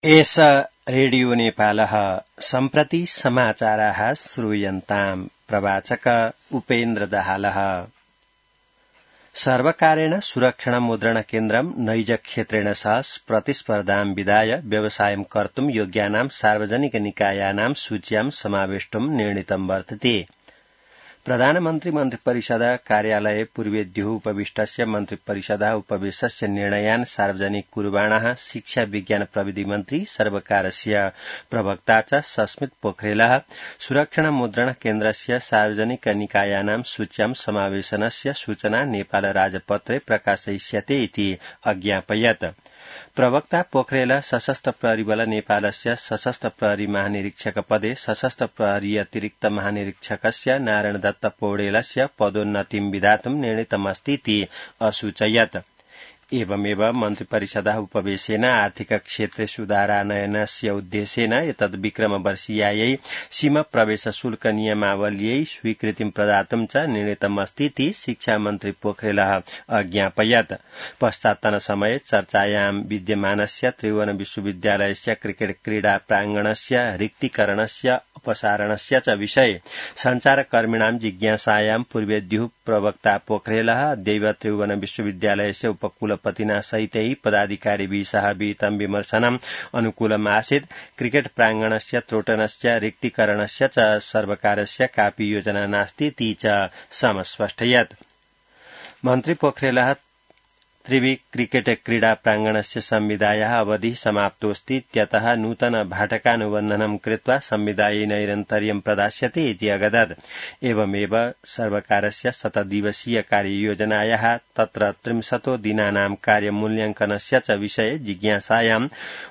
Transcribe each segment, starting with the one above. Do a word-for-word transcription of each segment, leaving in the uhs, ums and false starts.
एष रेडियो नेपालः सम्प्रति समाचाराः श्रूयन्ताम् प्रवाचक उपेन्द्र दाहालः। सर्वकारेण सुरक्षण मुद्रण केन्द्रं नैज क्षेत्रेण सह प्रतिस्पर्धां विधाय व्यवसायं कर्तुं योग्यानां सार्वजनिक निकायानां सूच्यां समावेष्टुं निर्णीतं वर्तते। प्रधानमन्त्री मन्त्रिपरिषद कार्यालये पूर्वेद्युः उपविष्टस्य मन्त्रिपरिषद उपवेशस्य निर्णयान् सार्वजनिक कुर्वाणः शिक्षा विज्ञान प्रविधि मन्त्री सर्वकारस्य प्रवक्ता च सस्मित पोखरेलः सुरक्षण मुद्रण केन्द्रस्य सार्वजनिक निकायानां सूच्यां समावेशनस्य सूचना नेपाल राजपत्रे प्रकाशयिष्यते इति अज्ञापयत्। प्रवक्ता पोखरेल सशस्त्र प्रहरी बल नेपालस्य सशस्त्र प्रहरी महानिरीक्षक पदे सशस्त्र प्रहरी अतिरिक्त महानिरीक्षकस्य नारायण दत्त पौडेलस्य पदोन्नतिं विधातुं निर्णीतमस्तीति असूचयत्। एवमेव मन्त्रिपरिषदः उपवेशेन आर्थिक क्षेत्रे सुधारानयनस्य उद्देश्येन एतद् विक्रमवर्षीयायै सीमा प्रवेश शुल्क नियमावल्यै स्वीकृतिं प्रदातुं च निर्णीतमस्तीति शिक्षा मन्त्री पोखरेलः अज्ञापयत्। पश्चात्तनसमये चर्चायां विद्यमानस्य त्रिभुवन विश्वविद्यालयस्य क्रिकेट क्रीडा प्राङ्गणस्य रिक्तीकरणस्य अपसारणस्य च विषये सञ्चारकर्मिणां जिज्ञासायां पूर्वेद्युः प्रवक्ता पोखरेलः अद्यैव त्रिभुवन विश्वविद्यालयस्य उपकुलपतिना सहितै पदाधिकारिभिः सह विहितं विमर्शनम् अनुकूलमासीत्। क्रिकेट प्राङ्गणस्य त्रोटनस्य रिक्तीकरणस्य च सर्वकारस्य कापि योजना नास्तीति च समस्पष्टयत्। मन्त्री पोखरेलः त्रिवि क्रिकेट क्रीडा प्राङ्गणस्य संविदायाः अवधिः समाप्तोऽस्ति इत्यतः नूतन भाटकानुबन्धनं कृत्वा संविदायै नैरन्तर्यं प्रदास्यते इति अगदत्। एवमेव सर्वकारस्य शतदिवसीय कार्ययोजनायाः तत्र त्रिंशतो दिनानां कार्यमूल्याङ्कनस्य च विषये जिज्ञासायां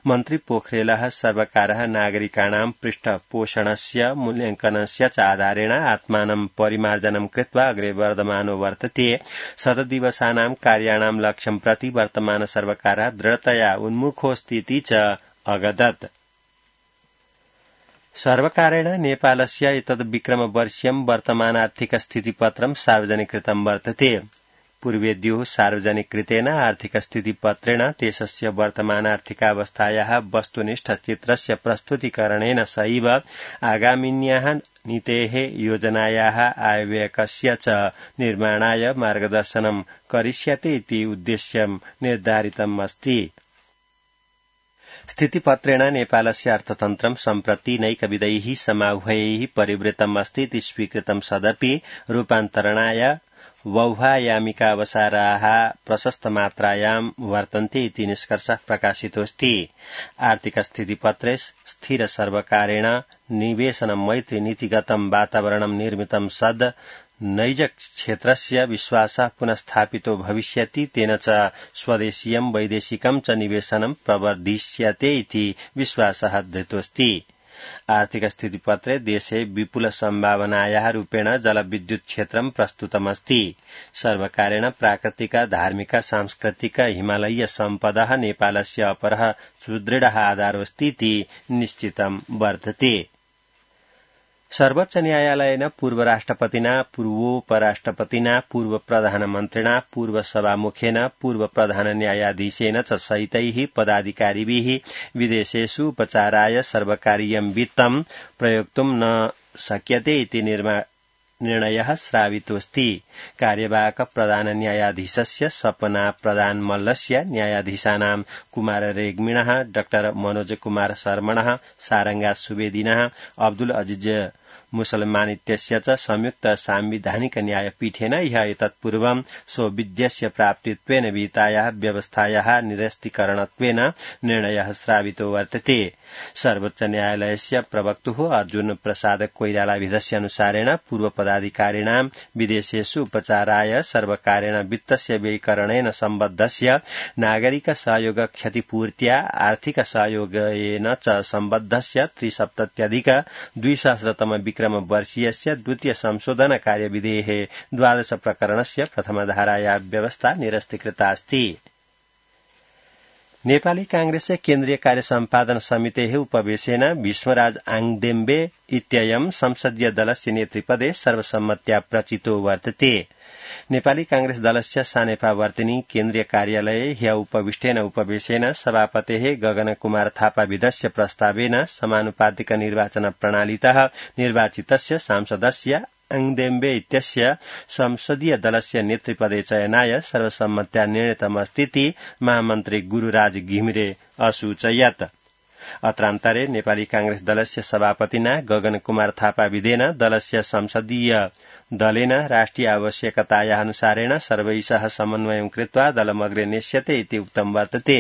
मन्त्री पोखरेलः सर्वकारः नागरिकाणां पृष्ठपोषणस्य मूल्याङ्कनस्य च आधारेण आत्मानं परिमार्जनं कृत्वा अग्रे वर्धमानो वर्तते। शतदिवसानां कार्याणां लक्ष्यं प्रति वर्तमान सर्वकारः दृढतया उन्मुखोऽस्तीति च अगदत्। सर्वकारेण नेपालस्य एतद् विक्रमवर्ष्यं वर्तमान आर्थिक स्थितिपत्रं सार्वजनिकृतं वर्तते। पूर्वेद्युः सार्वजनिकृतेन आर्थिक स्थितिपत्रेण देशस्य वर्तमान आर्थिकावस्थायाः वस्तुनिष्ठ चित्रस्य प्रस्तुतीकरणेन सहैव आगामिन्याः नीतेः योजनायाः आयव्ययकस्य च निर्माणाय मार्गदर्शनं करिष्यते इति उद्देश्यं निर्धारितम् अस्ति। स्थितिपत्रेण नेपालस्य अर्थतन्त्रं सम्प्रति नैकविधैः समाह्वयैः परिवृतम् अस्ति इति स्वीकृतं सदपि रूपान्तरणाय वौहायामिका अवसराः प्रशस्तमात्रायां वर्तन्ते इति निष्कर्षः प्रकाशितोऽस्ति। आर्थिक स्थितिपत्रे स्थिर सर्वकारेण निवेशन मैत्री नीतिगतं वातावरणं निर्मितं सद् नैज क्षेत्रस्य विश्वासः पुनस्थापितो भविष्यति तेन च स्वदेशीयं वैदेशिकं च निवेशनं प्रवर्धिष्यते इति विश्वासः धृतोऽस्ति। आर्थिक स्थितिपत्रे देशे विपुल सम्भावनायाः रूपेण जलविद्युत क्षेत्रं प्रस्तुतमस्ति। सर्वकारेण प्राकृतिक धार्मिक सांस्कृतिक हिमालयीय सम्पदः नेपालस्य अपरः सुदृढः आधारोऽस्ति इति निश्चितं वर्तते। सर्वोच्च न्यायालयेन पूर्व राष्ट्रपतिना पूर्वोपराष्ट्रपतिना पूर्व प्रधानमन्त्रिणा पूर्व सभामुखेन पूर्व प्रधान न्यायाधीशेन च सहितैः पदाधिकारिभिः विदेशेषु उपचाराय सर्वकारीयं वित्तं प्रयोक्तुं न शक्यते इति निर्णयः श्रावितोऽस्ति। कार्यवाहक प्रधान न्यायाधीशस्य सपना प्रधान मल्लस्य न्यायाधीशानां कुमार रेग्मिणः डाक्टर मनोज कुमार शर्मणः सारंगा सुवेदिनः अब्दुल अजीज मुसलमान इत्यस्य च संयुक्त सांविधानिक न्यायपीठेन ह्यः एतत्पूर्वं सौविध्यस्य प्राप्तित्वेन विहितायाः व्यवस्थायाः निरस्तीकरणत्वेन निर्णयः श्रावितो वर्तते। सर्वोच्च न्यायालयस्य प्रवक्तुः अर्जुन प्रसाद कोइरालाभिधस्य अनुसारेण पूर्व पदाधिकारिणां विदेशेषु उपचाराय सर्वकारेण वित्तस्य व्ययीकरणेन सम्बद्धस्य नागरिक सहयोग क्षतिपूर्त्या आर्थिक सहयोगेन च सम्बद्धस्य त्रिसप्तत्यधिक द्विसहस्रतम विक्रमवर्षीयस्य द्वितीय संशोधन कार्यविधेः द्वादश प्रकरणस्य प्रथमधारायाः व्यवस्था निरस्तीकृता अस्ति। नेपाली कांग्रेसस्य केन्द्रीय कार्य सम्पादन समितेः उपवेशेन भीष्मराज आङदेम्बे इत्ययं संसदीय दलस्य नेतृपदे सर्वसम्मत्या प्रचितो वर्तते। नेपाली कांग्रेस दलस्य सानेपावर्तिनी केन्द्रीय कार्यालये ह्य उपविष्टेन उपवेशेन सभापतेः गगन कुमार थापा विधस्य प्रस्तावेन समानुपातिक निर्वाचन प्रणालीतः निर्वाचितस्य सांसदस्य आङदेम्बे इत्यस्य संसदीय दलस्य नेतृपदे चयनाय सर्वसम्मत्या निर्णीतमस्तीति महामन्त्री गुरूराज घिमिरे असूचयत्। अत्रान्तरे नेपाली कांग्रेस दलस्य सभापतिना गगन कुमार थापा विधेन दलस्य संसदीय दलेन राष्ट्रिय आवश्यकताया अनुसारेण सर्वैः समन्वयं कृत्वा दलमग्रे नेष्यते इति उक्तं वर्तते।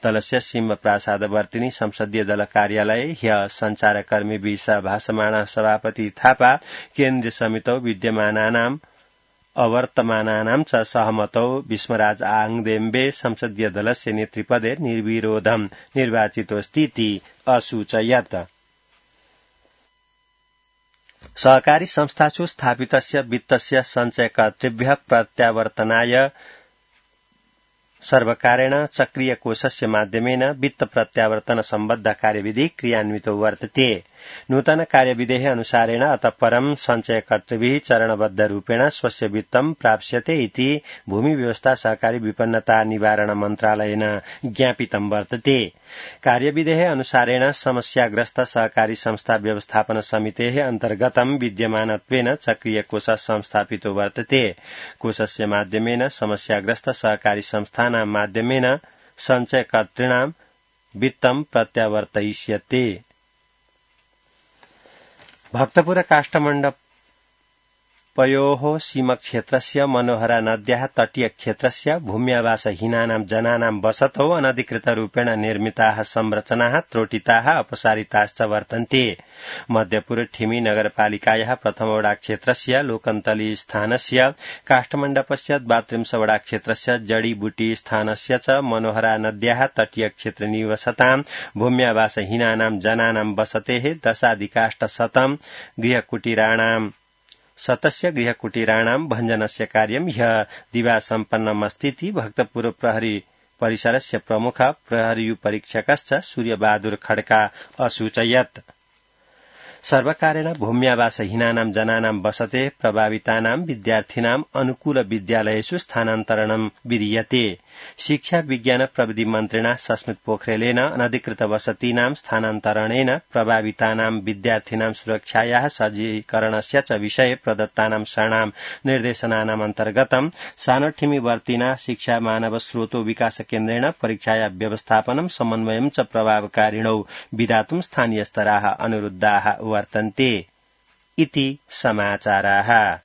दलस्य सिंह प्रासादवर्तिनी संसदीय दल कार्यालये ह्य संचारकर्मीभिः सह भाषमाणः सभापति थापा केन्द्रीय समितौ विद्यमानानाम् अवर्तमानानां च सहमतौ भीष्मराज आङदेम्बे संसदीय दलस्य नेतृपदे निर्विरोधं निर्वाचितोऽस्तीति असूचयत्। सहकारी संस्थासु स्थापितस्य वित्तस्य सञ्चयकर्तृभ्यः प्रत्यावर्तनाय सर्वकारेण चक्रीय कोषस्य माध्यमेन वित्त प्रत्यावर्तन सम्बद्ध कार्यविधि क्रियान्वितो वर्तते। नूतन कार्यविधेः अनुसारेण अतः परं सञ्चयकर्तृभिः चरणबद्ध रूपेण स्वस्य वित्तं प्राप्स्यते इति भूमि व्यवस्था सहकारी विपन्नता निवारण मन्त्रालयेन ज्ञापितं वर्तते। कार्यविधेः अनुसारेण समस्याग्रस्त सहकारी संस्था व्यवस्थापन समितेः अन्तर्गतं विद्यमानत्वेन चक्रीय कोष संस्थापितो वर्तते। कोषस्य माध्यमेन समस्याग्रस्त सहकारी संस्थानां माध्यमेन सञ्चयकर्तॄणां वित्तं प्रत्यावर्तयिष्यते। भक्तपुर काष्ठमण्डपयोः सीमक्षेत्रस्य मनोहरा नद्याः तटीय क्षेत्रस्य भूम्यावासहीनानां जनानां वसतौ अनधिकृतरूपेण निर्मिताः संरचनाः त्रोटिताः अपसारिताश्च वर्तन्ते। मध्यपुर ठिमी नगरपालिकायाः प्रथमवडा क्षेत्रस्य लोकन्तली स्थानस्य काष्ठमण्डपस्य द्वात्रिंशवडा क्षेत्रस्य जडीबुटी स्थानस्य च मनोहरा नद्याः तटीय क्षेत्रे निवसतां भूम्यावासहीनानां जनानां वसतेः दशाधिकाष्टशतं गृहकुटीराणां शतस्य गृहकुटीराणां भञ्जनस्य कार्यं ह्यः दिवा सम्पन्नमस्तीति भक्तपुर प्रहरी परिसरस्य प्रमुख प्रहरीपरीक्षकश्च सूर्यबहादुर खड्का असूचयत्। सर्वकारेण भूम्यावासहीनानां जनानां वसते प्रभावितानां विद्यार्थिनां अनुकूल विद्यालयेषु स्थानान्तरणं विधीयते। शिक्षा विज्ञान प्रविधि मन्त्रिणा सस्मित पोखरेलेन अनधिकृत वसतीनां स्थानान्तरणेन प्रभावितानां विद्यार्थिनां सुरक्षायाः सज्जीकरणस्य च विषये प्रदत्तानां शरणां निर्देशनानाम् अन्तर्गतं सानठिमीवर्तिना शिक्षा मानव स्रोतो विकास केन्द्रेण परीक्षाया व्यवस्थापनं समन्वयं च प्रभावकारिणौ विधातुं स्थानीयस्तराः अनुरुद्धाः वर्तन्ते इति समाचाराः।